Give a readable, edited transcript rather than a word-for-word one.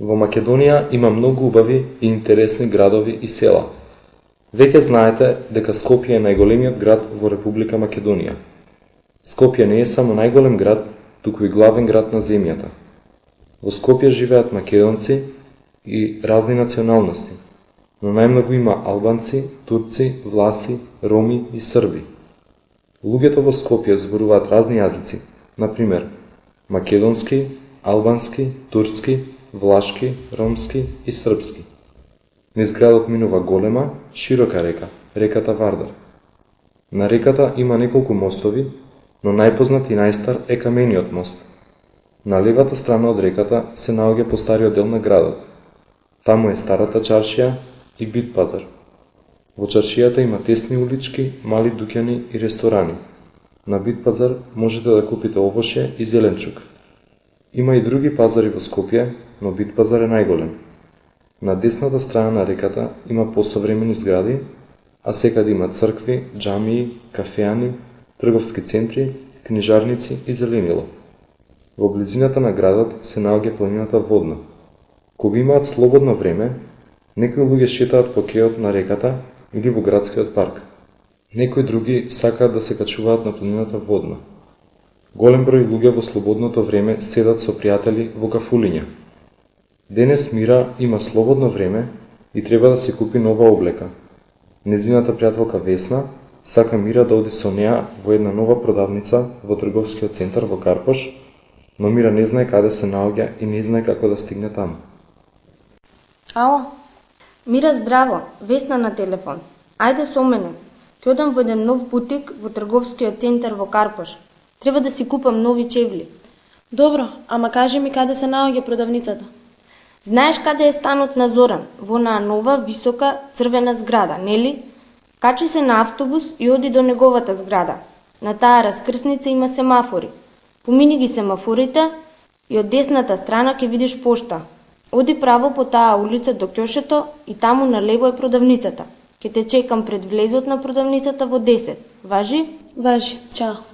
Во Македонија има многу убави и интересни градови и села. Веќе знаете дека Скопје е најголемиот град во Република Македонија. Скопје не е само најголем град, туку и главен град на земјата. Во Скопје живеат македонци и разни националности, но најмногу има албанци, турци, власи, роми и срби. Луѓето во Скопје зборуваат разни јазици, например македонски, албански, турски, влашки, ромски и српски. Низ градот минува голема, широка река, реката Вардар. На реката има неколку мостови, но најпознат и најстар е камениот мост. На левата страна од реката се наоѓа постариот дел на градот. Таму е старата чаршија и бит пазар. Во чаршијата има тесни улички, мали дуќани и ресторани. На бит пазар можете да купите овошје и зеленчук. Има и други пазари во Скопје, но бит пазар е најголем. На десната страна на реката има посовремени згради, а секаде има цркви, џамии, кафеани, трговски центри, книжарници и зеленило. Во близината на градот се наоѓа планината Водна. Кога имаат слободно време, некои луѓе шетаат по кеот на реката или во градскиот парк. Некои други сакаат да се качуваат на планината Водна. Голем број луѓе во слободното време седат со пријатели во кафулиња. Денес Мира има слободно време и треба да си купи нова облека. Незината пријателка Весна сака Мира да оди со неа во една нова продавница во трговскиот центар во Карпош, но Мира не знае каде се наоѓа и не знае како да стигне таму. Ало, Мира, здраво, Весна на телефон. Ајде со мене. Ќе одам во еден нов бутик во трговскиот центар во Карпош. Треба да си купам нови чевли. Добро, ама кажи ми каде се наоѓа продавницата. Знаеш каде е станот на Зоран? Во онаа нова, висока, црвена зграда, нели? Качи се на автобус и оди до неговата зграда. На таа раскрсница има семафори. Помини ги семафорите и од десната страна ќе видиш пошта. Оди право по таа улица до ќошето и таму налево е продавницата. Ќе те чекам пред влезот на продавницата во 10. Важи? Важи, чао.